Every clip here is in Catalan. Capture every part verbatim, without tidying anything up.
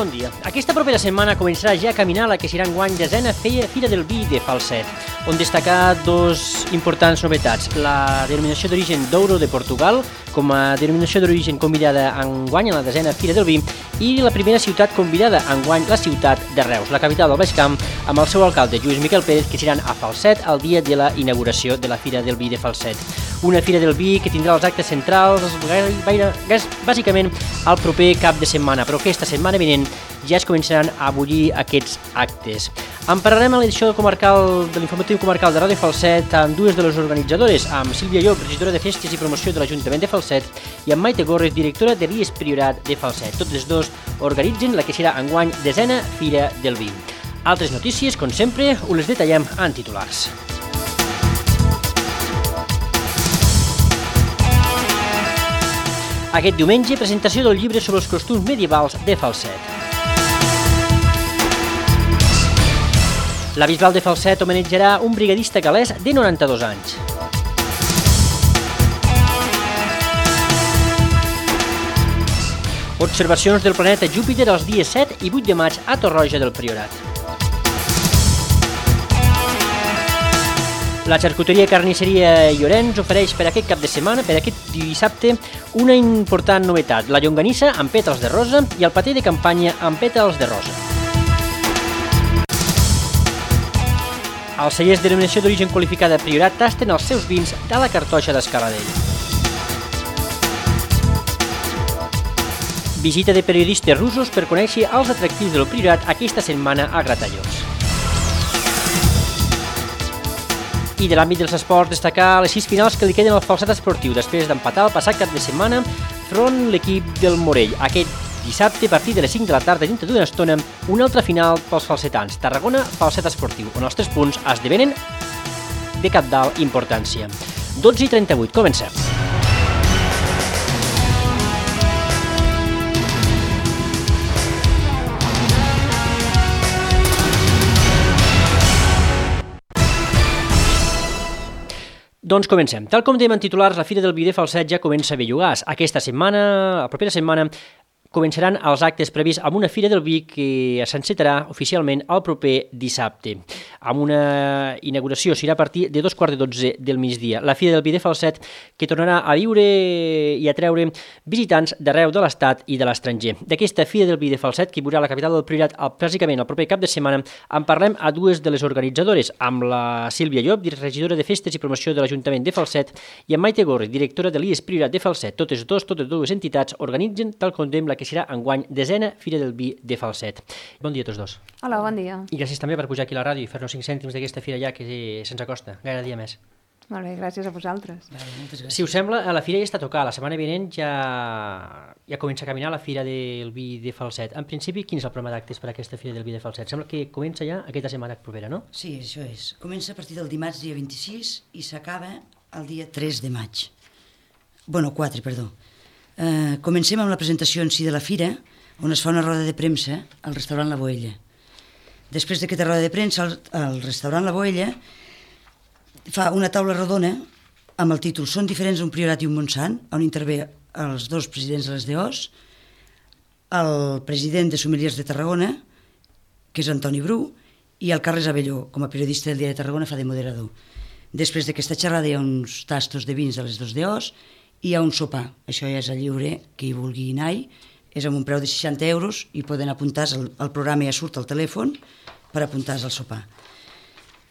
bon dia. Aquesta propera setmana començarà ja a caminar la que serà enguany desena Fira del Vi de Falset, on destacar dos importants novetats. La denominació d'origen Douro de Portugal, com a denominació d'origen convidada enguany a la desena Fira del Vi, i la primera ciutat convidada enguany, la ciutat de Reus, la capital del Baix Camp, amb el seu alcalde Lluís Miquel Pérez, que seran a Falset el dia de la inauguració de la Fira del Vi de Falset. Una Fira del Vi que tindrà els actes centrals gaire, gaire, bàsicament el proper cap de setmana, però aquesta setmana vinent ja es començaran a bullir aquests actes. En parlarem a l'edició comarcal de l'informatiu comarcal de Ràdio Falset amb dues de les organitzadores, amb Sílvia Llop, regidora de Festes i Promoció de l'Ajuntament de Falset, i amb Maite Gorres, directora de l'I E S Priorat de Falset. Tots els dos organitzen la que serà enguany desena Fira del Vi. Altres notícies, com sempre, us les detallem en titulars. Aquest diumenge, presentació del llibre sobre els costums medievals de Falset. La Bisbal de Falset homenatjarà un brigadista gal·lès de noranta-dos anys. Observacions del planeta Júpiter els dies set i vuit de maig a Torroja del Priorat. La xarcuteria Carnisseria Llorenç ofereix per aquest cap de setmana, per aquest dissabte, una important novetat, la llonganissa amb pètals de rosa i el patè de campanya amb pètals de rosa. Els cellers de denominació d'origen qualificada Priorat tasten els seus vins de la cartoixa d'Escaladell. Visita de periodistes russos per conèixer els atractius del Priorat aquesta setmana a Gratallops. I de l'àmbit dels esports, destacar les sis finals que li queden al Falset esportiu després d'empatar el passat cap de setmana front l'equip del Morell. Aquest dissabte, a partir de les cinc de la tarda, dintre d'una estona, una altra final pels falsetans. Tarragona, Falset esportiu, on els tres punts esdevenen de cabdal importància. dotze i trenta-vuit, comencem. Doncs comencem. Tal com dèiem en titulars, la Fira del Vi de Falset ja comença a Bellugàs. Aquesta setmana, la propera setmana, començaran els actes previs amb una Fira del Vi que s'encetarà oficialment el proper dissabte, amb una inauguració, serà a partir de dos quarts de dotze del migdia. La Fira del Vi de Falset que tornarà a viure i a treure visitants d'arreu de l'Estat i de l'estranger. D'aquesta Fira del Vi de Falset, que hi haurà la capital del Priorat bàsicament el proper cap de setmana, en parlem a dues de les organitzadores, amb la Sílvia Llop, regidora de Festes i Promoció de l'Ajuntament de Falset, i amb Maite Gorres, directora de l'I E S Priorat de Falset. Totes dos, totes dues entitats organitzen, tal com dèiem, la que serà enguany desena Fira del Vi de Falset. Bon dia a tots dos. Hola, bon dia. I gràcies també per pujar aquí a la ràdio i fer-nos cinc cèntims d'aquesta fira ja que se'ns acosta, gaire dia més. Molt bé, gràcies a vosaltres. Si us sembla, la fira ja està tocada, la setmana vinent ja, ja comença a caminar la Fira del Vi de Falset. En principi, quin és el programa d'actes per a aquesta Fira del Vi de Falset? Sembla que comença ja aquesta setmana propera, no? Sí, això és. Comença a partir del dimarts dia vint-i-sis i s'acaba el dia tres de maig. Bueno, quatre, perdó. Uh, comencem amb la presentació en si de la fira, on es fa una roda de premsa al restaurant La Boella. Després d'aquesta roda de premsa, el, el restaurant La Boella fa una taula rodona amb el títol Són diferents un Priorat i un Montsant, on intervé els dos presidents de les D Os, el president de Sommeliers de Tarragona, que és Antoni Bru, i el Carles Abelló, com a periodista del Diari de Tarragona, fa de moderador. Després d'aquesta xerrada hi ha uns tastos de vins de les dos D Os, i hi ha un sopar, això ja és a lliure, qui hi vulgui anar-hi, és amb un preu de seixanta euros i poden apuntar-se, el, el programa ja surt al telèfon per apuntar-se al sopar.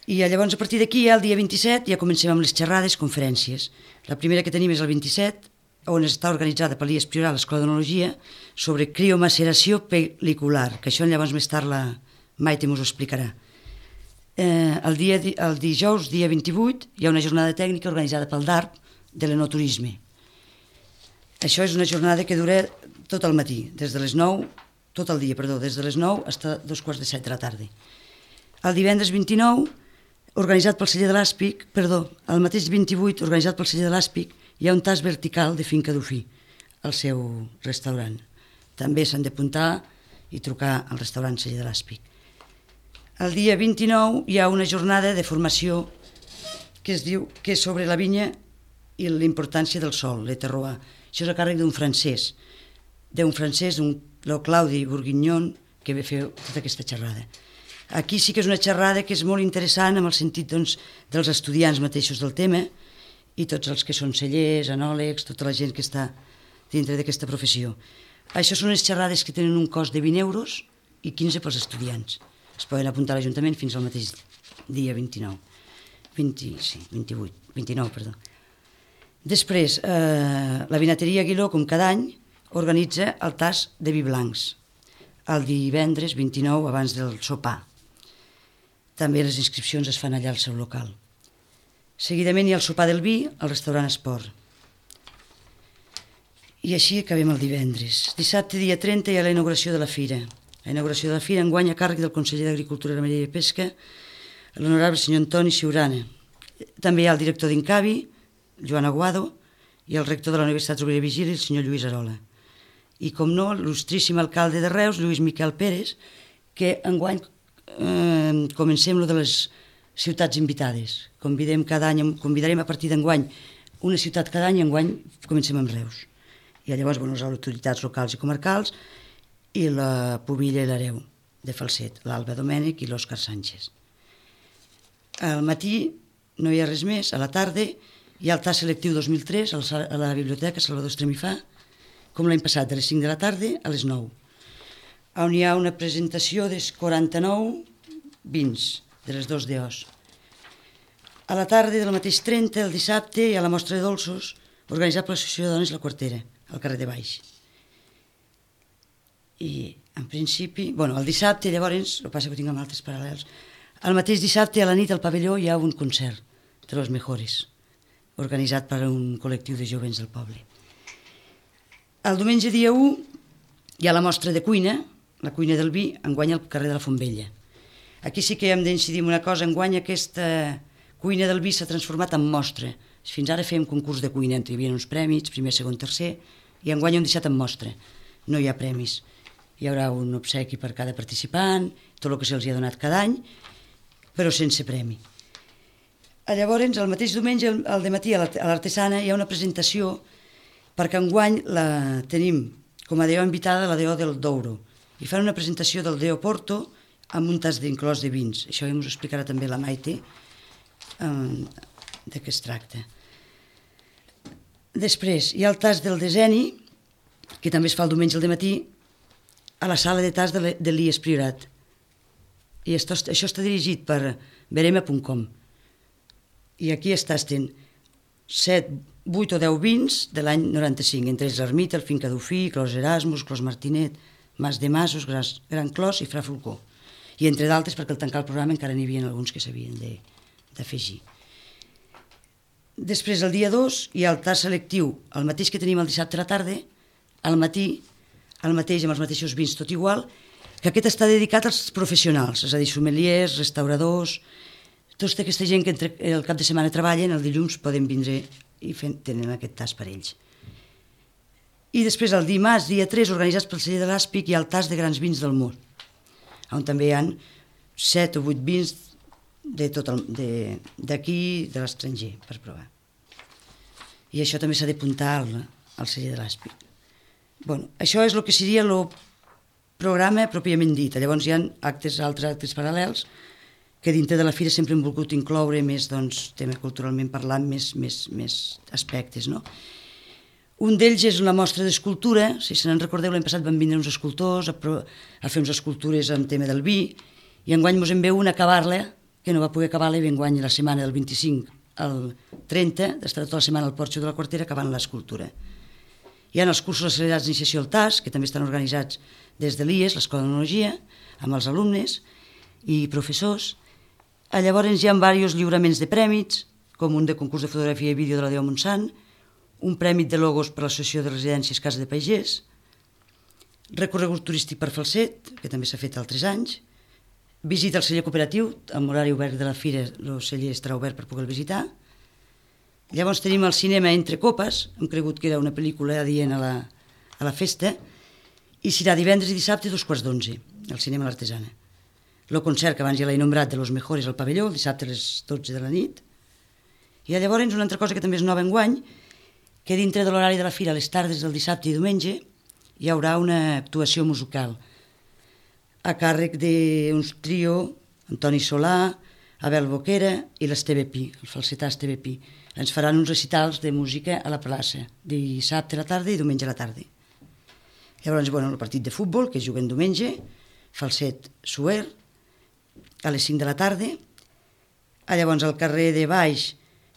I llavors a partir d'aquí, ja el dia vint-i-set, ja comencem amb les xerrades, conferències. La primera que tenim és el vint-i-set, on està organitzada per l'I E S Priorat, l'Escola d'Onologia, sobre criomaceració pel·licular, que això llavors més tard la Maite mos ho explicarà. Eh, el, dia, el dijous, dia vint-i-vuit, hi ha una jornada tècnica organitzada pel D A R P de l'enoturisme. Això és una jornada que dura tot el matí, des de les nou, tot el dia, perdó, des de les nou fins a dos quarts de set de la tarda. El divendres vint-i-nou, organitzat pel celler de l'Àspic, perdó, el mateix vint-i-vuit, organitzat pel celler de l'Àspic, hi ha un tas vertical de finca d'Ofí, al seu restaurant. També s'han d'apuntar i trucar al restaurant celler de l'Àspic. El dia vint-i-nou hi ha una jornada de formació que es diu que és sobre la vinya i la importància del sol, le terroir. Això és a càrrec d'un francès, d'un francès, un el Claudi Bourguignon, que ve fer tota aquesta xerrada. Aquí sí que és una xerrada que és molt interessant en el sentit doncs, dels estudiants mateixos del tema i tots els que són cellers, anòlegs, tota la gent que està dintre d'aquesta professió. Això són les xerrades que tenen un cost de vint euros i quinze pels estudiants. Es poden apuntar a l'Ajuntament fins al mateix dia vint-i-nou. vint, sí, vint-i-vuit, vint-i-nou, perdó. Després, eh, la vinateria Aguiló, com cada any, organitza el tas de vi blancs, el divendres vint-i-nou abans del sopar. També les inscripcions es fan allà al seu local. Seguidament hi ha el sopar del vi al restaurant Esport. I així acabem el divendres. Dissabte, dia trenta, hi ha la inauguració de la fira. La inauguració de la fira enguany a càrrec del conseller d'Agricultura, Ramaderia i Pesca, l'honorable senyor Antoni Siurana. També hi ha el director d'Incavi, Joan Aguado, i el rector de la Universitat Rovira i Virgili, el senyor Lluís Arola. I, com no, l'il·lustríssim alcalde de Reus, Lluís Miquel Pérez, que enguany eh, comencem lo de les ciutats invitades. Convidem cada any, convidarem a partir d'enguany una ciutat cada any, i enguany comencem amb Reus. I llavors, bueno, les autoritats locals i comarcals i la Pubilla i l'Hereu de Falset, l'Alba Domènech i l'Òscar Sánchez. Al matí no hi ha res més, a la tarda hi ha el tas selectiu dos mil tres a la Biblioteca Salvador Estremifà, com l'any passat, de les cinc de la tarda a les nou, on hi ha una presentació dels quaranta-nou vins de les dos d'Eos. A la tarda del mateix trenta, el dissabte, hi ha la mostra de dolços organitzat per l'Associació de Dones La Quartera, al carrer de Baix. I, en principi, bueno, el dissabte, llavors, el que passa que ho tinc amb altres paral·lels, el mateix dissabte a la nit al pavelló hi ha un concert de los mejores, organitzat per un col·lectiu de jovens del poble. El diumenge dia u hi ha la mostra de cuina, la cuina del vi, enguany al carrer de la Fontvella. Aquí sí que hem d'incidir en una cosa, enguany aquesta cuina del vi s'ha transformat en mostra. Fins ara fèiem concurs de cuina, hi havia uns prèmits, primer, segon, tercer, i enguany ho hem deixat en mostra. No hi ha premis. Hi haurà un obsequi per cada participant, tot el que se'ls ha donat cada any, però sense premi. Llavors, el mateix diumenge, al dematí, a l'Artesana, hi ha una presentació, perquè enguany la tenim com a D O invitada la D O del Douro, i fan una presentació del D O Porto amb un tas d'inclòs de vins. Això ja ens ho explicarà també la Maite, de què es tracta. Després, hi ha el tas del Deseni, que també es fa el diumenge al dematí, a la sala de tas de l'I E S Priorat. I això, això està dirigit per verema punt com. I aquí es tasten set, vuit o deu vins de l'any noranta-cinc, entre ells l'Ermita, el Finca Dufí, Clos Erasmus, Clos Martinet, Mas de Masos, Gran Clos i Fra Fulcó. I entre d'altres, perquè al tancar el programa encara n'hi havia alguns que s'havien d'afegir. Després, el dia dos, hi ha el tas selectiu, el mateix que tenim el dissabte a la tarda, al matí, el mateix amb els mateixos vins, tot igual, que aquest està dedicat als professionals, és a dir, sommeliers, restauradors, tota aquesta gent que entre el cap de setmana treballen, el dilluns poden vindre i tenen aquest tas per ells. I després, el dimarts, dia tres, organitzats pel celler de l'Àspic, hi ha el tas de grans vins del món, on també hi ha set o vuit vins d'aquí, de l'estranger, per provar. I això també s'ha d'apuntar al celler de l'Àspic. Bueno, això és el que seria el programa pròpiament dit. Llavors hi ha actes, altres actes paral·lels que dintre de la fira sempre hem volgut incloure més, doncs, tema culturalment parlant, més, més, més aspectes, no? Un d'ells és una mostra d'escultura. Si se n'en recordeu, l'any passat van vindre uns escultors a, a fer unes escultures en tema del vi, i enguany mos en ve una a acabar-la, que no va poder acabar-la, i enguany la setmana del vint-i-cinc al trenta, d'estar tota la setmana al Porxo de la Quartera acabant l'escultura. Hi ha els cursos accelerats d'iniciació al T A S, que també estan organitzats des de l'I E S, l'Escola d'Enologia, amb els alumnes i professors. Llavors hi ha diversos lliuraments de prèmits, com un de concurs de fotografia i vídeo de la D O Montsant, un prèmit de logos per l'Associació de Residències Casa de Pagès, recorregut turístic per Falset, que també s'ha fet altres anys, visita al celler cooperatiu, amb horari obert de la fira, el celler estarà obert per poder visitar. Llavors tenim el cinema Entre Copes, hem cregut que era una pel·lícula adient a la, a la festa, i serà divendres i dissabte dos quarts d'onze, al cinema L'Artesana. El concert, que abans ja l'he nombrat, de Los Mejores al pavelló, el dissabte a les dotze de la nit. I llavors una altra cosa que també és nova enguany, que dintre de l'horari de la fira, a les tardes del dissabte i diumenge, hi haurà una actuació musical a càrrec d'un trio, Antoni Solà, Abel Boquera i l'Esteve Pi, el falsetà Esteve Pi. Ens faran uns recitals de música a la plaça, dissabte a la tarda i diumenge a la tarda. Llavors, bueno, el partit de futbol, que juguen diumenge, falset suer, a les cinc de la tarda. Llavors, al carrer de baix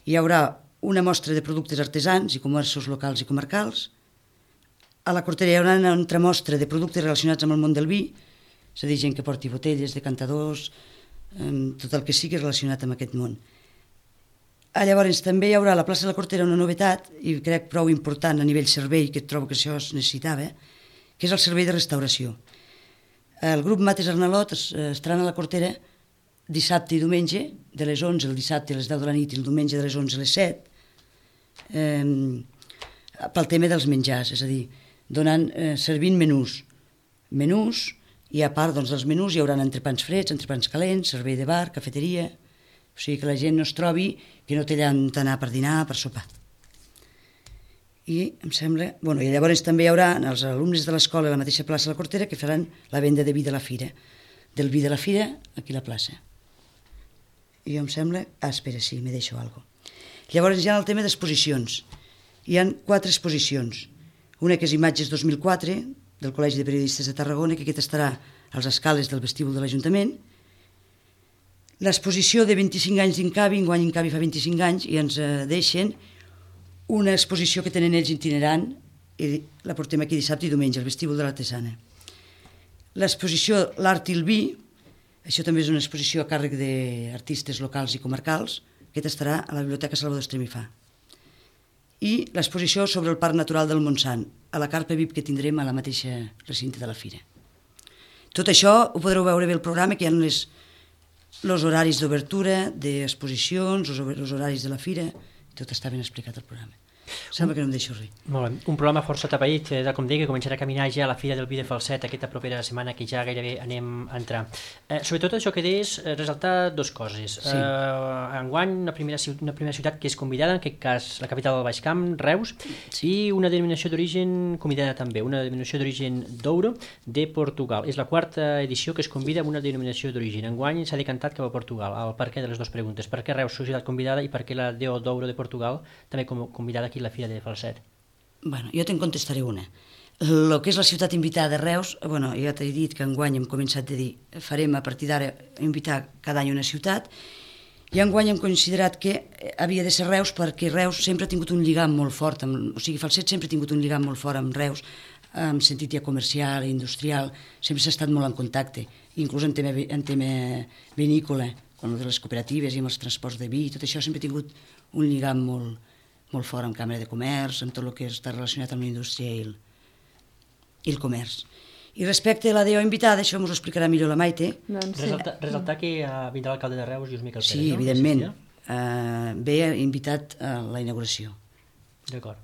hi haurà una mostra de productes artesans i comerços locals i comarcals. A la Cortera hi haurà una altra mostra de productes relacionats amb el món del vi, és a dir, gent que porti botelles, decantadors, tot el que sigui relacionat amb aquest món. Llavors també hi haurà a la plaça de la Cortera una novetat, i crec prou important a nivell servei, que trobo que això es necessitava, que és el servei de restauració. El grup Mates Arnalot estaran a la Cortera dissabte i diumenge, de les onze el dissabte a les deu de la nit i el diumenge de les onze a les set, eh, pel tema dels menjars, és a dir, donant, eh, servint menús. Menús, i a part doncs, dels menús hi haurà entrepans freds, entrepans calents, servei de bar, cafeteria, o sigui que la gent no es trobi que no té allà on anar per dinar, per sopar. I em sembla... Bueno, i llavors també hi haurà els alumnes de l'escola a la mateixa plaça de la Cortera que faran la venda de vi de la fira, del vi de la fira aquí a la plaça. I em sembla... Ah, espera, sí, me deixo alguna cosa. Llavors hi ha el tema d'exposicions. Hi ha quatre exposicions. Una que és Imatges dos mil quatre, del Col·legi de Periodistes de Tarragona, que aquesta estarà als escales del vestíbul de l'Ajuntament. L'exposició de vint-i-cinc anys d'Incavi, enguany Incavi fa vint-i-cinc anys, i ens deixen una exposició que tenen ells itinerant, i la portem aquí dissabte i diumenge, al vestíbul de l'Artesana. L'exposició L'Art i el Vi, això també és una exposició a càrrec d'artistes locals i comarcals, aquesta estarà a la Biblioteca Salvador Estremifà. I l'exposició sobre el Parc Natural del Montsant, a la carpa V I P que tindrem a la mateixa recinte de la fira. Tot això ho podreu veure bé al programa, que hi ha les, els horaris d'obertura, d'exposicions, els horaris de la fira, tot està ben explicat al programa. Sembla que no em deixo res. Molt bé. Un programa força atapeït, eh, com deia, que començarà a caminar ja a la Fira del Vi de Falset aquesta propera setmana, que ja gairebé anem a entrar. Eh, sobretot això que deies, eh, resaltar dues coses. Sí. Eh, enguany, una primera, una primera ciutat que és convidada, en aquest cas la capital del Baix Camp, Reus, sí. I una denominació d'origen convidada també, una denominació d'origen Douro de Portugal. És la quarta edició que es convida amb una denominació d'origen. Enguany s'ha decantat cap a Portugal. El per què de les dues preguntes. Per què Reus, societat convidada, i per què la D O Douro de Portugal, també com, convidada aquí a la Fira de Falset? Bueno, jo te'n contestaré una. El que és la ciutat invitada de Reus, bueno, ja t'he dit que enguany hem començat a dir, farem a partir d'ara invitar cada any una ciutat, i enguany hem considerat que havia de ser Reus perquè Reus sempre ha tingut un lligam molt fort, amb, o sigui, Falset sempre ha tingut un lligam molt fort amb Reus, en sentit ja comercial, industrial, sempre s'ha estat molt en contacte, inclús en tema, en tema vinícola, amb les cooperatives i amb els transports de vi, tot això sempre ha tingut un lligam molt molt fort amb Càmera de Comerç, amb tot el que està relacionat amb la indústria i el, i el comerç. I respecte a la D O invitada, això ens ho explicarà millor la Maite. Doncs sí. Resaltar, resaltar que uh, vindrà l'alcalde de Reus, Lluís Miquel Pérez, sí, no? Evidentment. Uh, ve invitat a la inauguració. D'acord.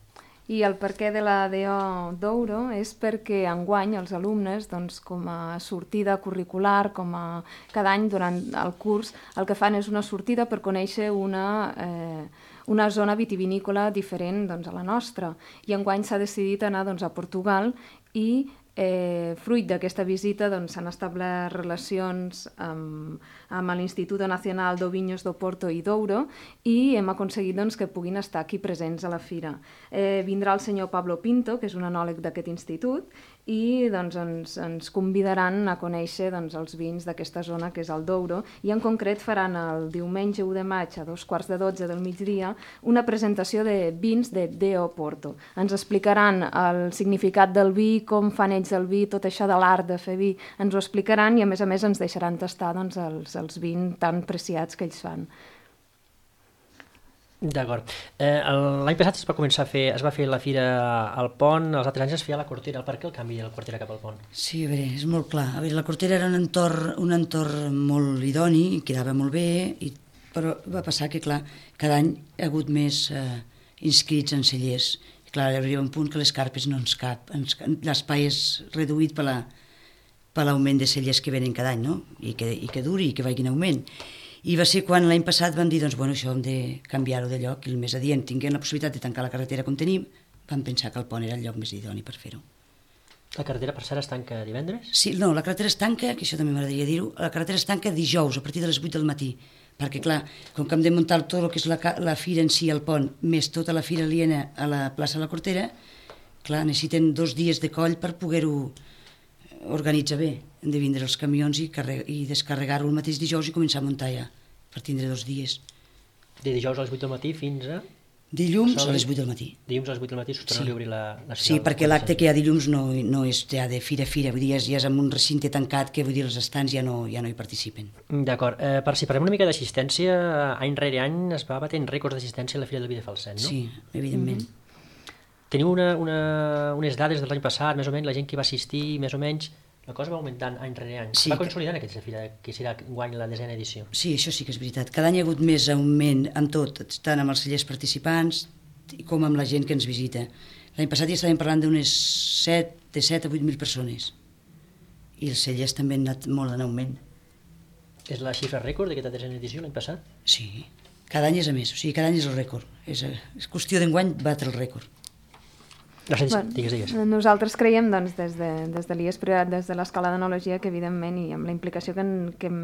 I el perquè de la D O Douro és perquè enguany els alumnes, doncs, com a sortida curricular, com a cada any durant el curs, el que fan és una sortida per conèixer una... Eh, una zona vitivinícola diferent doncs, a la nostra. I enguany s'ha decidit anar doncs, a Portugal i eh, fruit d'aquesta visita doncs, s'han establert relacions amb, amb l'Instituto Nacional d'Ovinyos do Porto i Douro i hem aconseguit doncs, que puguin estar aquí presents a la fira. Eh, vindrà el senyor Pablo Pinto, que és un enòleg d'aquest institut, i doncs, ens, ens convidaran a conèixer doncs, els vins d'aquesta zona que és el Douro, i en concret faran el diumenge u de maig a dos quarts de dotze del migdia una presentació de vins de D O Porto. Ens explicaran el significat del vi, com fan ells el vi, tot això de l'art de fer vi, ens ho explicaran i a més a més ens deixaran tastar doncs, els, els vins tan preciats que ells fan. D'acord. Eh, L'any passat es va començar a fer, es va fer la fira al Pont, els altres anys es feia a la Cortera. Per què el canvi de la Cortera cap al Pont? Sí, a veure, és molt clar. A veure, la Cortera era un entorn, un entorn molt idoni, quedava molt bé, i, però va passar que, clar, cada any hi ha hagut més eh, inscrits en cellers. I, clar, arriba un punt que les carpes no ens cap. Ens, l'espai és reduït per la, per l'augment de cellers que venen cada any, no? I que, i que duri, i que vagin en augment. I va ser quan l'any passat van dir, doncs, bueno, això hem de canviar-ho de lloc, i el més adient, tinguent la possibilitat de tancar la carretera com tenim, vam pensar que el pont era el lloc més idoni per fer-ho. La carretera per cert es tanca divendres? Sí, no, la carretera es tanca, que això també m'agradaria dir-ho, la carretera es tanca dijous a partir de les vuit del matí, perquè clar, com que hem de muntar tot el que és la, la fira en si, el pont, més tota la fira aliena a la plaça de la Cortera, clar, necessiten dos dies de coll per poder-ho organitzar bé. Hem de vindre els camions i, i descarregar-ho el mateix dijous i començar a muntar ja, per tindre dos dies. De dijous a les vuit del matí fins a... Dilluns a les vuit del matí. Dilluns a les vuit del matí s'ho torna sí. a obrir la, la Sí, perquè l'acte que hi ha dilluns no, no és ja de fira-fira, vull dir, ja és en un recinte tancat que vull dir, els estants ja no, ja no hi participen. D'acord. Eh, per si parlem una mica d'assistència, any rere any es va batent rècords d'assistència a la Fira del Vi de Falset, no? Sí, evidentment. Mm-hmm. Teniu una, una, unes dades de l'any passat, més o menys, la gent que va assistir, més o menys... La cosa va augmentant any rere any. Sí, va consolidant aquesta fira, que serà guany la desena edició. Sí, això sí que és veritat. Cada any hi ha hagut més augment amb tot, tant amb els cellers participants com amb la gent que ens visita. L'any passat ja estàvem parlant d'unes set, de set a vuit mil persones. I els cellers també han anat molt en augment. És la xifra rècord d'aquesta desena edició l'any passat? Sí, cada any és a més, o sigui, cada any és el rècord. És, és qüestió d'enguany batre el rècord. Gràcies, bueno, digues, digues. Nosaltres creiem doncs, des de, des de l'I E S Priorat, des de l'Escola d'Enologia, que evidentment i amb la implicació que, en, que, hem,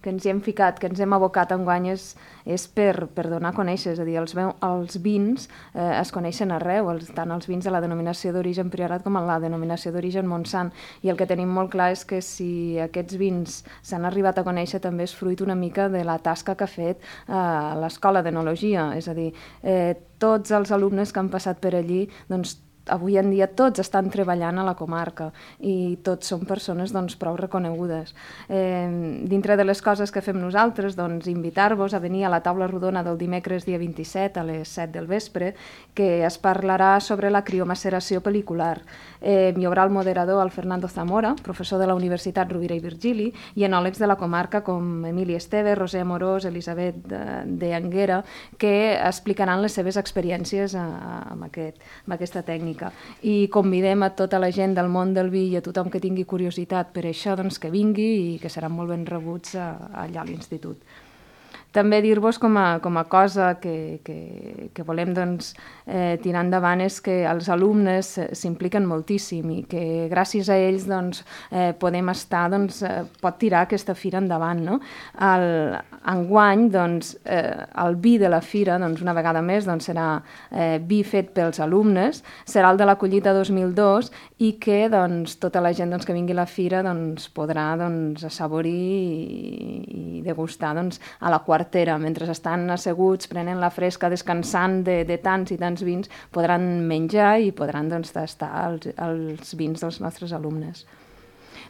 que ens hi hem ficat, que ens hem abocat enguany és, és per, per donar a conèixer, és a dir, els, els vins eh, es coneixen arreu, els, tant els vins de la denominació d'origen Priorat com la denominació d'origen Montsant, i el que tenim molt clar és que si aquests vins s'han arribat a conèixer també és fruit una mica de la tasca que ha fet eh, l'Escola d'Enologia, és a dir, eh, tots els alumnes que han passat per allí, doncs avui en dia tots estan treballant a la comarca i tots són persones doncs, prou reconegudes. Eh, dintre de les coses que fem nosaltres, doncs, invitar-vos a venir a la taula rodona del dimecres dia vint-i-set a les set del vespre, que es parlarà sobre la criomaceració pel·licular. Eh, hi haurà el moderador, el Fernando Zamora, professor de la Universitat Rovira i Virgili, i enòlegs de la comarca com Emili Esteve, Roser Amorós, Elisabet de, de Anguera, que explicaran les seves experiències a, a, amb, aquest, amb aquesta tècnica. I convidem a tota la gent del món del vi i a tothom que tingui curiositat per això doncs, que vingui i que seran molt ben rebuts a, allà a l'institut. També dir-vos com a, com a cosa que, que, que volem doncs, eh, tirar endavant és que els alumnes s'impliquen moltíssim i que gràcies a ells doncs, eh, podem estar, doncs, eh, pot tirar aquesta fira endavant. No? El, enguany, doncs, eh, el vi de la fira, doncs, una vegada més, doncs, serà eh, vi fet pels alumnes, serà el de la collita dos mil dos i que doncs, tota la gent doncs, que vingui a la fira doncs, podrà doncs, assaborir i, i degustar doncs, a la quarta quartera, mentre estan asseguts, prenen la fresca, descansant de, de tants i tants vins, podran menjar i podran doncs, tastar els, els vins dels nostres alumnes.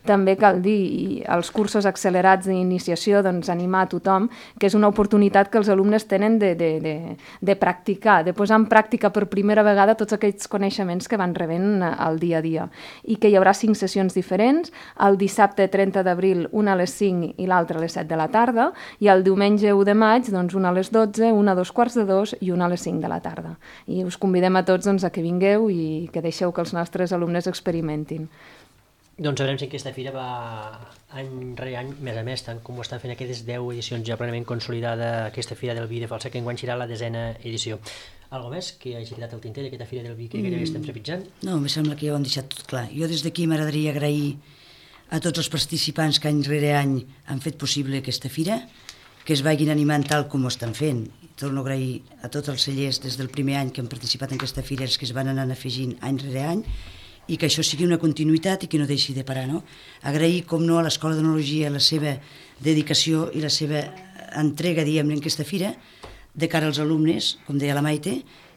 També cal dir, els cursos accelerats d'iniciació, doncs, animar a tothom, que és una oportunitat que els alumnes tenen de, de, de, de practicar, de posar en pràctica per primera vegada tots aquells coneixements que van rebent al dia a dia. I que hi haurà cinc sessions diferents, el dissabte trenta d'abril una a les cinc i l'altra a les set de la tarda, i el diumenge u de maig doncs, una a les dotze, una a dos quarts de dos i una a les cinc de la tarda. I us convidem a tots doncs, a que vingueu i que deixeu que els nostres alumnes experimentin. Doncs veurem si aquesta fira va any rere any, més a més, tant com ho estan fent aquestes deu edicions ja plenament consolidada aquesta fira del vi de Falset, que enguany serà la desena edició. Algo més que hagi tirat el tinter d'aquesta fira del vi que gairebé estem trepitjant? No, em sembla que ja ho hem deixat tot clar. Jo des d'aquí m'agradaria agrair a tots els participants que any rere any han fet possible aquesta fira, que es vagin animant tal com ho estan fent. Torno a agrair a tots els cellers des del primer any que han participat en aquesta fira, els que es van anar afegint any rere any, i que això sigui una continuïtat i que no deixi de parar. No? Agrair, com no, a l'Escola d'Enologia la seva dedicació i la seva entrega, diguem, en aquesta fira, de cara als alumnes, com deia la Maite,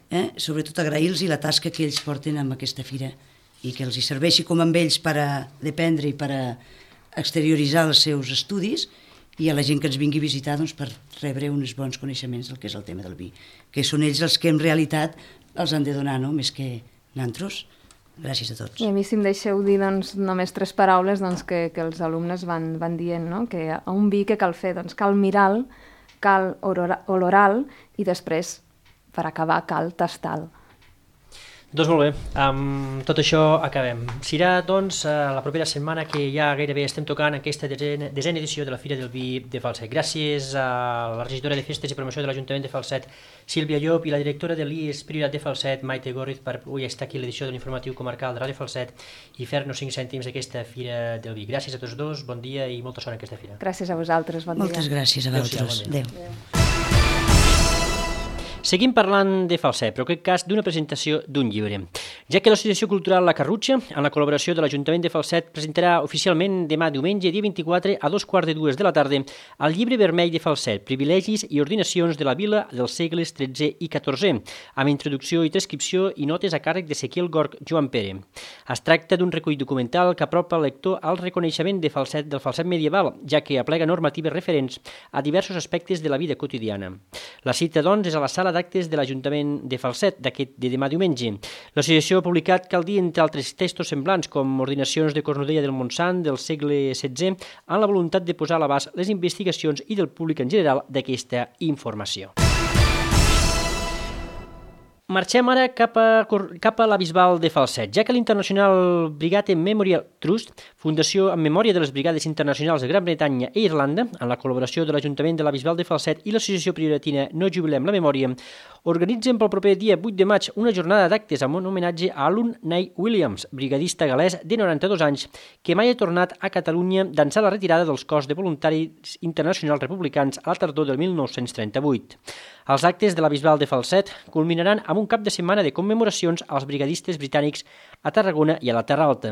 eh? sobretot agrair-los la tasca que ells porten amb aquesta fira i que els hi serveixi com amb ells per a dependre i per a exterioritzar els seus estudis, i a la gent que ens vingui a visitar doncs, per rebre uns bons coneixements del que és el tema del vi, que són ells els que en realitat els han de donar, no? Més que nosaltres. Gràcies a tots. I a mi, si em deixeu dir doncs, només tres paraules doncs, que, que els alumnes van, van dient, no? Que a un vi que cal fer, doncs, cal mirar-lo, cal olorar-lo i després, per acabar, cal tastar-lo. Doncs molt bé, amb tot això acabem. Serà, doncs, la propera setmana que ja gairebé estem tocant aquesta desena, desena edició de la Fira del Vi de Falset. Gràcies a la regidora de Festes i Promoció de l'Ajuntament de Falset, Sílvia Llop, i la directora de l'I E S Priorat de Falset, Maite Gorriz, per avui estar aquí a l'edició de l'informatiu comarcal de Ràdio Falset i fer-nos cinc cèntims d'aquesta Fira del Vi. Gràcies a tots dos, bon dia i molta sort en aquesta fira. Gràcies a vosaltres, bon dia. Moltes gràcies a vosaltres. Adéu. Adéu. Seguim parlant de Falset, però en aquest cas d'una presentació d'un llibre, ja que l'Associació Cultural La Carrutxa, en la col·laboració de l'Ajuntament de Falset, presentarà oficialment demà diumenge, dia vint-i-quatre, a dos quarts de dues de la tarda, el llibre vermell de Falset, Privilegis i ordinacions de la vila dels segles tretze i catorze, amb introducció i transcripció i notes a càrrec d'Ezequiel Gorg Joan Pere. Es tracta d'un recull documental que apropa el lector al reconeixement de Falset del Falset medieval, ja que aplega normatives referents a diversos aspectes de la vida quotidiana. La cita, doncs, és a la sala d'actes de l'Ajuntament de Falset d'aquest de demà diumenge. L'associació ha publicat, cal dir, entre altres textos semblants com ordinacions de Cornudella del Montsant del segle setze, amb la voluntat de posar a l'abast les investigacions i del públic en general d'aquesta informació. Marxem ara cap a, cap a la Bisbal de Falset, ja que l'International Brigade Memorial Trust, fundació en memòria de les Brigades Internacionals de Gran Bretanya i Irlanda, en la col·laboració de l'Ajuntament de la Bisbal de Falset i l'Associació Prioratina No Jubilem la Memòria, organitzen pel proper dia vuit de maig una jornada d'actes amb un homenatge a Alun Nay Williams, brigadista galès de noranta-dos anys, que mai ha tornat a Catalunya d'ençà la retirada dels cos de voluntaris internacionals republicans a la tardor del mil nou-cents trenta-vuit. Els actes de la Bisbal de Falset culminaran amb un cap de setmana de commemoracions als brigadistes britànics a Tarragona i a la Terra Alta.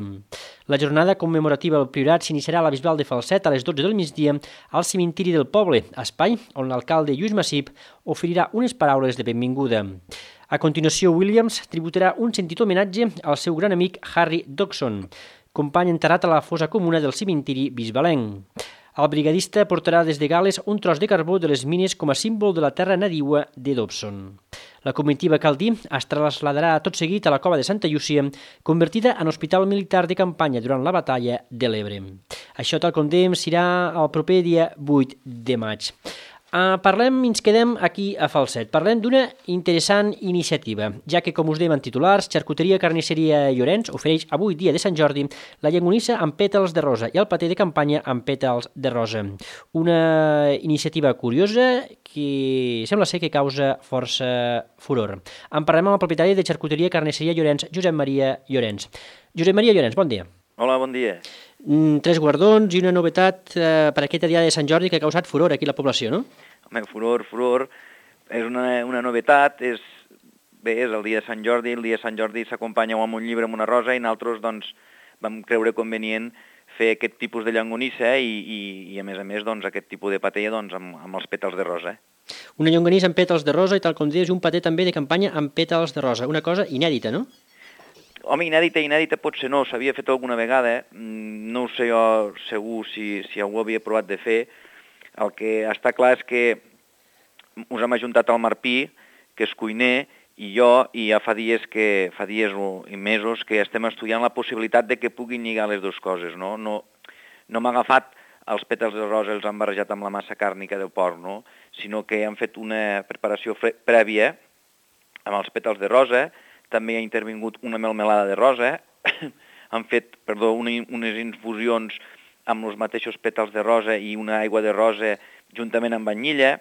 La jornada commemorativa del Priorat s'iniciarà a la Bisbal de Falset a les dotze del migdia al cementiri del poble, espai on l'alcalde Lluís Massip oferirà unes paraules de benvinguda. A continuació, Williams tributarà un sentit homenatge al seu gran amic Harry Dodson, company enterrat a la fossa comuna del cementiri bisbalenc. El brigadista portarà des de Gales un tros de carbó de les mines com a símbol de la terra nadiua de Dobson. La comitiva, cal dir, es trasladarà tot seguit a la cova de Santa Llúcia, convertida en hospital militar de campanya durant la batalla de l'Ebre. Això, tal com dèiem, serà el proper dia vuit de maig. Uh, parlem i ens quedem aquí a Falset. Parlem d'una interessant iniciativa, ja que, com us dèiem en titulars, Xarcuteria Carnisseria Llorenç ofereix avui, dia de Sant Jordi, la llangonissa amb pètals de rosa i el paté de campanya amb pètals de rosa. Una iniciativa curiosa que sembla ser que causa força furor. En parlem amb el propietari de Xarcuteria Carnisseria Llorenç, Josep Maria Llorenç. Josep Maria Llorenç, bon dia. Hola, bon dia. Tres guardons i una novetat eh, per aquesta dia de Sant Jordi que ha causat furor aquí a la població, no? Home, furor, furor, és una, una novetat, és, bé, és el dia de Sant Jordi, el dia de Sant Jordi s'acompanya amb un llibre amb una rosa i nosaltres doncs, vam creure convenient fer aquest tipus de llonganissa i, i, i a més a més doncs, aquest tipus de paté doncs, amb, amb els pètals de rosa. Una llonganissa amb pètals de rosa i, tal com dius, un paté també de campanya amb pètals de rosa, una cosa inèdita, no? Home, inèdita, inèdita potser no, s'havia fet alguna vegada, no ho sé jo segur si, si algú havia provat de fer. El que està clar és que us hem ajuntat al Marpí, que és cuiner, i jo, i ja fa dies, que, fa dies i mesos que estem estudiant la possibilitat de que puguin lligar les dues coses, no? No, no m'ha agafat els pètals de rosa, els han barrejat amb la massa càrnica del porc, no? Sinó que han fet una preparació prèvia amb els pètals de rosa. També ha intervingut una melmelada de rosa, han fet, perdó, una, unes infusions amb els mateixos pètals de rosa i una aigua de rosa juntament amb vanilla,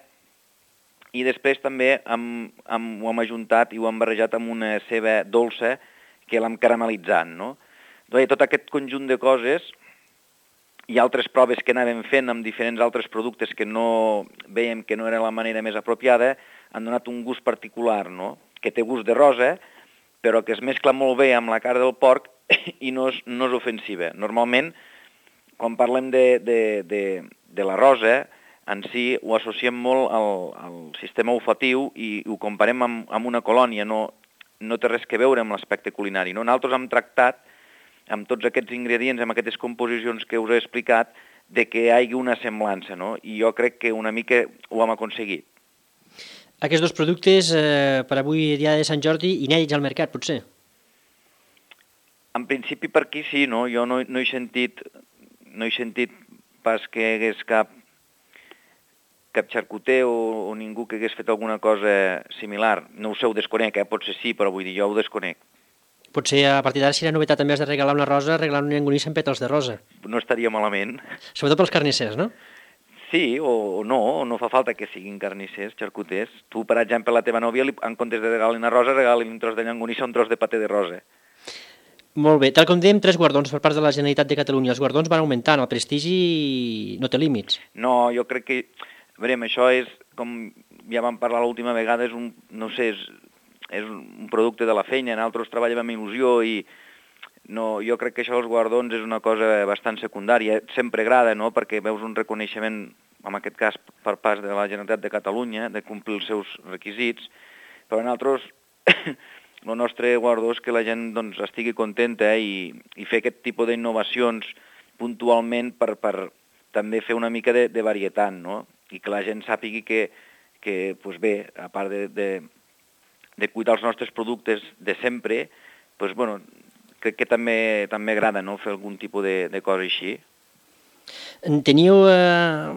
i després també hem, hem, ho hem ajuntat i ho hem barrejat amb una ceba dolça que l'hem caramelitzat, no? Doncs tot aquest conjunt de coses i altres proves que anàvem fent amb diferents altres productes que no veiem que no era la manera més apropiada, han donat un gust particular, no? Que té gust de rosa, però que es mescla molt bé amb la carn del porc i no és, no és ofensiva. Normalment, quan parlem de, de, de, de la rosa, en si ho associem molt al, al sistema olfatiu i ho comparem amb, amb una colònia, no, no té res que veure amb l'aspecte culinari. No? Nosaltres hem tractat, amb tots aquests ingredients, amb aquestes composicions que us he explicat, de que hi hagi una semblança, no? I jo crec que una mica ho hem aconseguit. Aquests dos productes, eh, per avui, dia de Sant Jordi, inèdits al mercat, potser? En principi per aquí sí, no? Jo no, no, he sentit, no he sentit pas que hi hagués cap, cap xarcuter o, o ningú que hagués fet alguna cosa similar. No ho sé, ho desconec, eh? Potser sí, però vull dir, jo ho desconec. Potser a partir d'ara serà novetat, també has de regalar una rosa, regalar una llangonissa amb pètals de rosa. No estaria malament. Sobretot pels carnissers, no? Sí, o, o no, o no fa falta que siguin carnissers, xarcuters. Tu, per exemple, a la teva nòvia, li, en comptes de regalar una rosa, regali un tros de llangonissa o un tros de paté de rosa. Molt bé. Tal com dèiem, tres guardons per part de la Generalitat de Catalunya. Els guardons van augmentant, el prestigi no té límits. No, jo crec que... Veurem, això és, com ja vam parlar l'última vegada, és un, no sé, és, és un producte de la feina, nosaltres treballem amb il·lusió i no, jo crec que això dels guardons és una cosa bastant secundària. Sempre agrada, no?, perquè veus un reconeixement, en aquest cas per part de la Generalitat de Catalunya, de complir els seus requisits, però nosaltres el nostre guardó és que la gent doncs, estigui contenta eh, i, i fer aquest tipus d'innovacions puntualment per, per també fer una mica de, de varietat, no?, i que la gent sàpigui que, que pues bé, a part de, de, de cuidar els nostres productes de sempre, pues, bueno, crec que també també agrada, no?, fer algun tipus de, de cosa així. Teniu eh,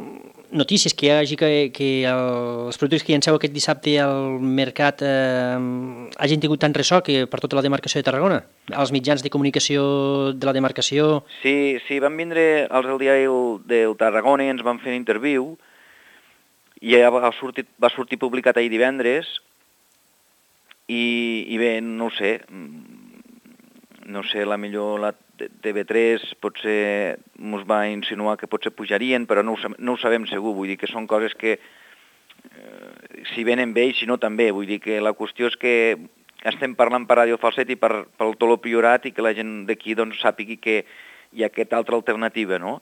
notícies que hi hagi que, que els productes que llanceu aquest dissabte al mercat eh, hagin tingut tant ressò que per tota la demarcació de Tarragona? Els mitjans de comunicació de la demarcació? Sí, sí, van vindre els del diari del Tarragona i ens van fer interviu i ja va sortir, va sortir publicat ahir divendres i, i bé, no ho sé, no sé, la millor la T V tres potser ens va insinuar que potser pujarien, però no ho, no ho sabem segur, vull dir que són coses que eh, si venen bé i si no també, vull dir que la qüestió és que estem parlant per Ràdio Falset i per, pel Toló Priorat i que la gent d'aquí doncs, sàpigui que hi ha aquesta altra alternativa, no?,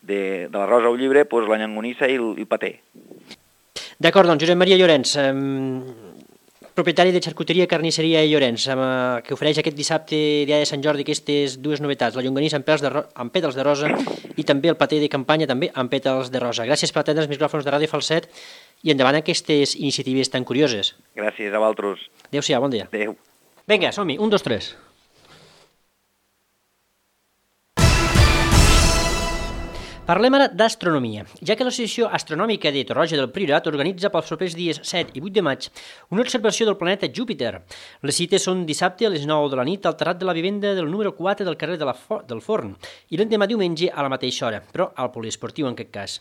de, de la rosa au llibre, doncs, la llangonissa i el, i el paté. D'acord, doncs, Josep Maria Llorenç, eh, propietari de Xarcuteria Carnisseria Llorenç, eh, que ofereix aquest dissabte, dia de Sant Jordi, aquestes dues novetats, la llonganissa amb, de amb pètals de rosa i també el paté de campanya també amb pètals de rosa. Gràcies per atendre els micròfons de Ràdio Falset i endavant aquestes iniciatives tan curioses. Gràcies a vosaltres. Adéu-siau, bon dia. Adéu. Vinga, som-hi, un, dos, tres. Parlem ara d'astronomia, ja que l'Associació Astronòmica de Torroja del Priorat organitza pels propers dies set i vuit de maig una observació del planeta Júpiter. Les cites són dissabte a les nou de la nit al terrat de la vivenda del número quatre del carrer de la Fo del Forn i l'endemà diumenge a la mateixa hora, però al poliesportiu en aquest cas.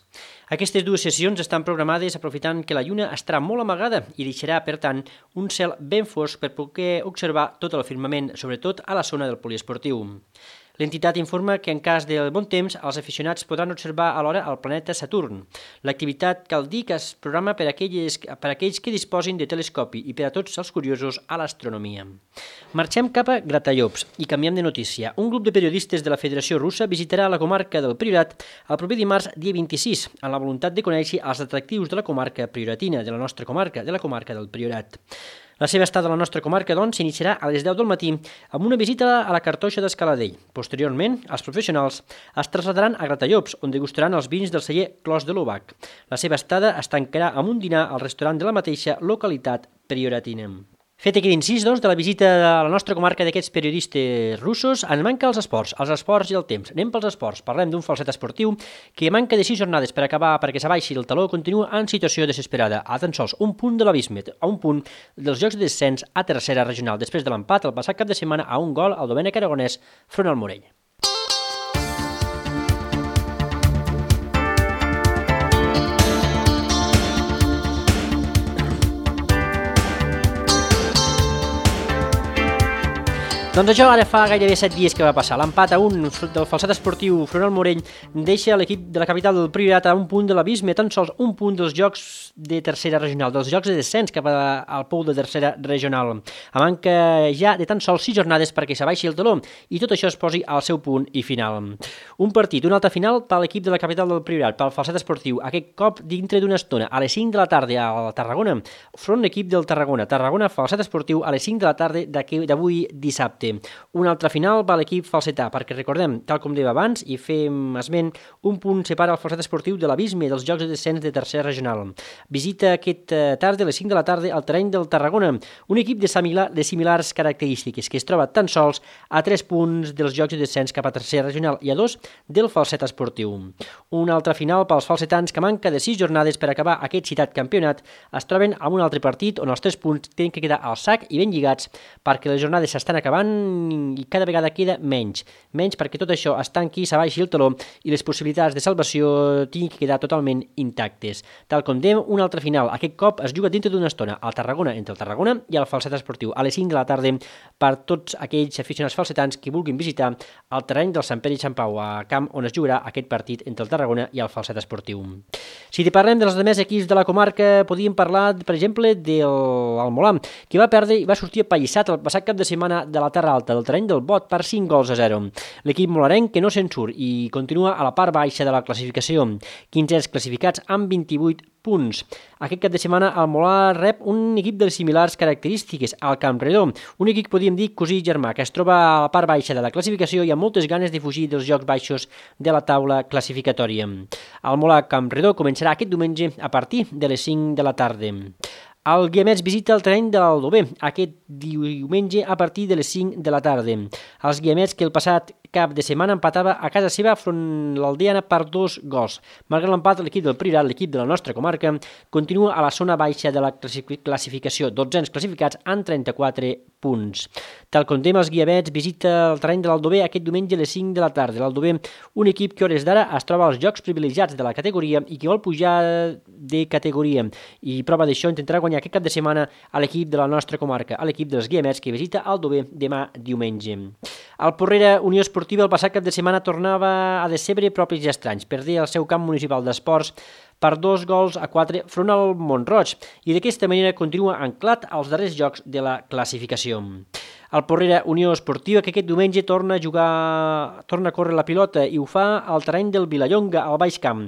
Aquestes dues sessions estan programades aprofitant que la lluna estarà molt amagada i deixarà, per tant, un cel ben fosc per poder observar tot el firmament, sobretot a la zona del poliesportiu. L'entitat informa que en cas de bon temps els aficionats podran observar alhora el planeta Saturn. L'activitat cal dir que es programa per aquells, per aquells que disposin de telescopi i per a tots els curiosos a l'astronomia. Marxem cap a Gratallops i canviem de notícia. Un grup de periodistes de la Federació Russa visitarà la comarca del Priorat el proper dimarts dia vint-i-sis, amb la voluntat de conèixer els atractius de la comarca prioratina, de la nostra comarca, de la comarca del Priorat. La seva estada a la nostra comarca, doncs, s'iniciarà a les deu del matí amb una visita a la Cartoixa d'Escaladell. Posteriorment, els professionals es trasladaran a Gratallops, on degustaran els vins del celler Clos de l'Obac. La seva estada es tancarà amb un dinar al restaurant de la mateixa localitat prioratina. Fet aquest incís, doncs, de la visita a la nostra comarca d'aquests periodistes russos, en manca els esports, els esports i el temps. Anem pels esports. Parlem d'un falset esportiu que manca de sis jornades per acabar perquè s'abaixi el taló, continua en situació desesperada, a tan sols un punt de l'abisme, a un punt dels jocs de descens a tercera regional, després de l'empat el passat cap de setmana a un gol al Domènec Aragonès front al Morell. Doncs això ara fa gairebé set dies que va passar. L'empat a un del falset esportiu front al Morell deixa l'equip de la capital del Priorat a un punt de l'abisme, tan sols un punt dels jocs de tercera regional, dels jocs de descens cap al pou de tercera regional. A manca ja de tan sols sis jornades perquè s'abaixi el taló i tot això es posi al seu punt i final. Un partit, una altra final per l'equip de la capital del Priorat, pel falset esportiu, aquest cop dintre d'una estona, a les cinc de la tarda a Tarragona, front l'equip del Tarragona. Tarragona, falset esportiu, a les cinc de la tarda d'avui dissabte. Una altra final va l'equip falsetà, perquè recordem, tal com deia abans, i fem esment, un punt separa el falset esportiu de l'abisme dels jocs de descens de tercera regional. Visita aquest tarda, a les cinc de la tarda, al terreny del Tarragona, un equip de, similar, de similars característiques, que es troba tan sols a tres punts dels jocs de descens cap a tercera regional i a dos del falset esportiu. Una altra final pels falsetans que manca de sis jornades per acabar aquest citat campionat es troben amb un altre partit on els tres punts tenen que quedar al sac i ben lligats perquè les jornades s'estan acabant tant i cada vegada queda menys. Menys perquè tot això es tanqui, s'abaixi el teló i les possibilitats de salvació tinguin que quedar totalment intactes. Tal com dèiem, un altre final. Aquest cop es juga dintre d'una estona al Tarragona, entre el Tarragona i el Falset Esportiu, a les cinc de la tarda, per tots aquells aficionats falsetans que vulguin visitar el terreny del Sant Pere i Sant Pau, a camp on es jugarà aquest partit entre el Tarragona i el Falset Esportiu. Si te parlem dels altres equips de la comarca, podíem parlar, per exemple, del Molà, que va perdre i va sortir apallissat el passat cap de setmana de la Terra Alta, del terreny del Bot, per cinc gols a zero. L'equip molarenc que no se'n surt i continua a la part baixa de la classificació, quinzens classificats amb vint-i-vuit punts. Aquest cap de setmana el Molà rep un equip de les similars característiques, el Campredó, un equip, podríem dir, cosí germà, que es troba a la part baixa de la classificació i amb moltes ganes de fugir dels jocs baixos de la taula classificatòria. El Molà Campredó començarà aquest diumenge a partir de les cinc de la tarda. El Guiamets visita el terreny de l'Aldover aquest diumenge a partir de les cinc de la tarda. Els Guiamets, que el passat cap de setmana empatava a casa seva front l'Aldeana per dos gols. Malgrat l'empat, l'equip del Priorat, l'equip de la nostra comarca, continua a la zona baixa de la classificació, dotzens classificats amb trenta-quatre punts. Tal com dèiem, els Guiamets visita el terreny de l'Aldover aquest diumenge a les cinc de la tarda. L'Aldover, un equip que a hores d'ara es troba als jocs privilegiats de la categoria i que vol pujar de categoria. I prova d'això intentarà guanyar aquest cap de setmana a l'equip de la nostra comarca, a l'equip dels Guiamets, que visita l'Aldover demà diumenge. El Porrera Unió Esportiva el passat cap de setmana tornava a decebre propis i estranys. Perdia el seu camp municipal d'esports per dos gols a quatre front al Mont-roig i d'aquesta manera continua anclat als darrers jocs de la classificació. El Porrera Unió Esportiva, que aquest diumenge torna a jugar, torna a córrer la pilota i ho fa al terreny del Vilallonga, al Baix Camp.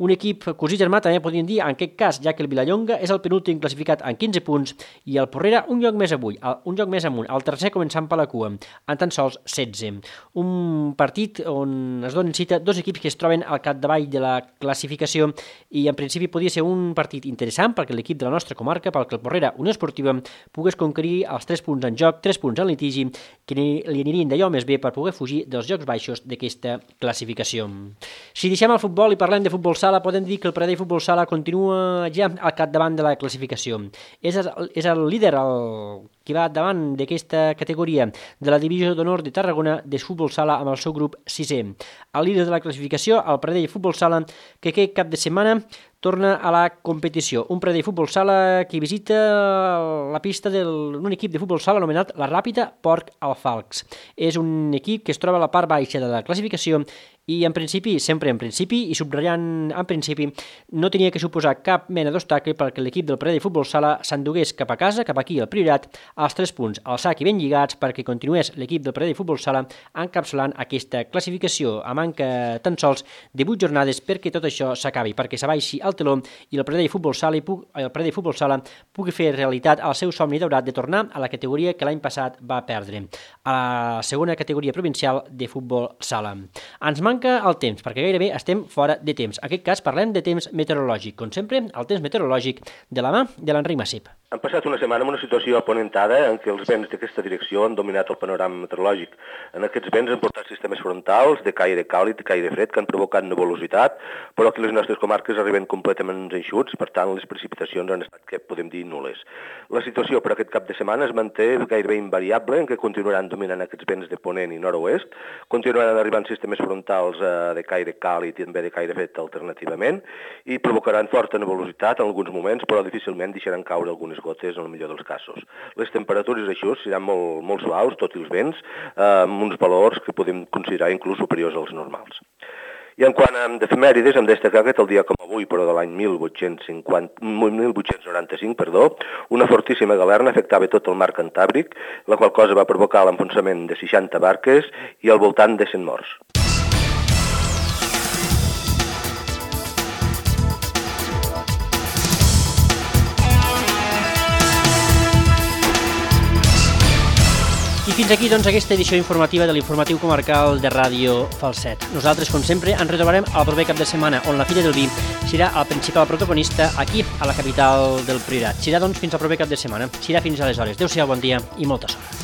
Un equip cosí germà, també podríem dir, en aquest cas, ja que el Vilallonga és el penúltim classificat en quinze punts i el Porrera un lloc més avui, un lloc més amunt, el tercer començant per la cua, en tan sols setze. Un partit on es donen cita dos equips que es troben al capdavall de la classificació i en principi podria ser un partit interessant perquè l'equip de la nostra comarca, perquè el Porrera Unió Esportiva pogués conquerir els tres punts en joc, tres punts en litigi, que li anirien d'allò més bé per poder fugir dels jocs baixos d'aquesta classificació. Si deixem el futbol i parlem de futbol sala, podem dir que el Pradell Futbol Sala continua ja al capdavant de la classificació. És el, és el líder, el que va davant d'aquesta categoria de la divisió d'honor de Tarragona de futbol sala amb el seu grup sisè. El líder de la classificació, el Pradell Futbol Sala, que aquest cap de setmana torna a la competició. Un Pradell Futbol Sala que visita la pista d'un equip de futbol sala anomenat la Ràpida Porc Alfalcs. És un equip que es troba a la part baixa de la classificació i en principi, sempre en principi, i subratllant en principi, no tenia que suposar cap mena d'obstacle perquè l'equip del Pradell Futbol Sala s'endugués cap a casa, cap aquí al Priorat, als tres punts al sac i ben lligats perquè continués l'equip del Pradell Futbol Sala encapsulant aquesta classificació a manca tan sols de vuit jornades perquè tot això s'acabi, perquè s'abaixi el teló i el Pradell Futbol Sala, el Pradell Futbol Sala pugui fer realitat el seu somni daurat de tornar a la categoria que l'any passat va perdre, a la segona categoria provincial de futbol sala. Ens manca el temps, perquè gairebé estem fora de temps. En aquest cas parlem de temps meteorològic, com sempre, el temps meteorològic de la mà de l'Enric Massip. Han passat una setmana amb una situació aponentada en què els vents d'aquesta direcció han dominat el panorama meteorològic. En aquests vents han portat sistemes frontals de caire càlid i caire fred que han provocat nebulositat, però que les nostres comarques arriben completament eixuts, per tant les precipitacions han estat, que podem dir, nules. La situació per aquest cap de setmana es manté gairebé invariable, en què continuaran dominant aquests vents de ponent i nord-oest, continuaran arribant sistemes frontals eh, de caire càlid i també de caire fred alternativament, i provocaran forta nebulositat en alguns moments, però difícilment deixaran caure algunes gotes en el millor dels casos. Les temperatures així seran molt, molt suaus, tot i els vents, eh, amb uns valors que podem considerar inclús superiors als normals. I en quant a d'efemèrides, hem destacat que el dia com avui, però de l'any mil vuit-cents noranta-cinc, perdó, una fortíssima galerna afectava tot el mar Cantàbric, la qual cosa va provocar l'enfonsament de seixanta barques i al voltant de cent morts. I fins aquí, doncs, aquesta edició informativa de l'informatiu comarcal de Ràdio Falset. Nosaltres, com sempre, ens retrobarem el proper cap de setmana, on la Fira del Vi serà el principal protagonista aquí, a la capital del Priorat. Serà, doncs, fins al proper cap de setmana. Serà fins aleshores. Adéu-siau, bon dia i molta sort.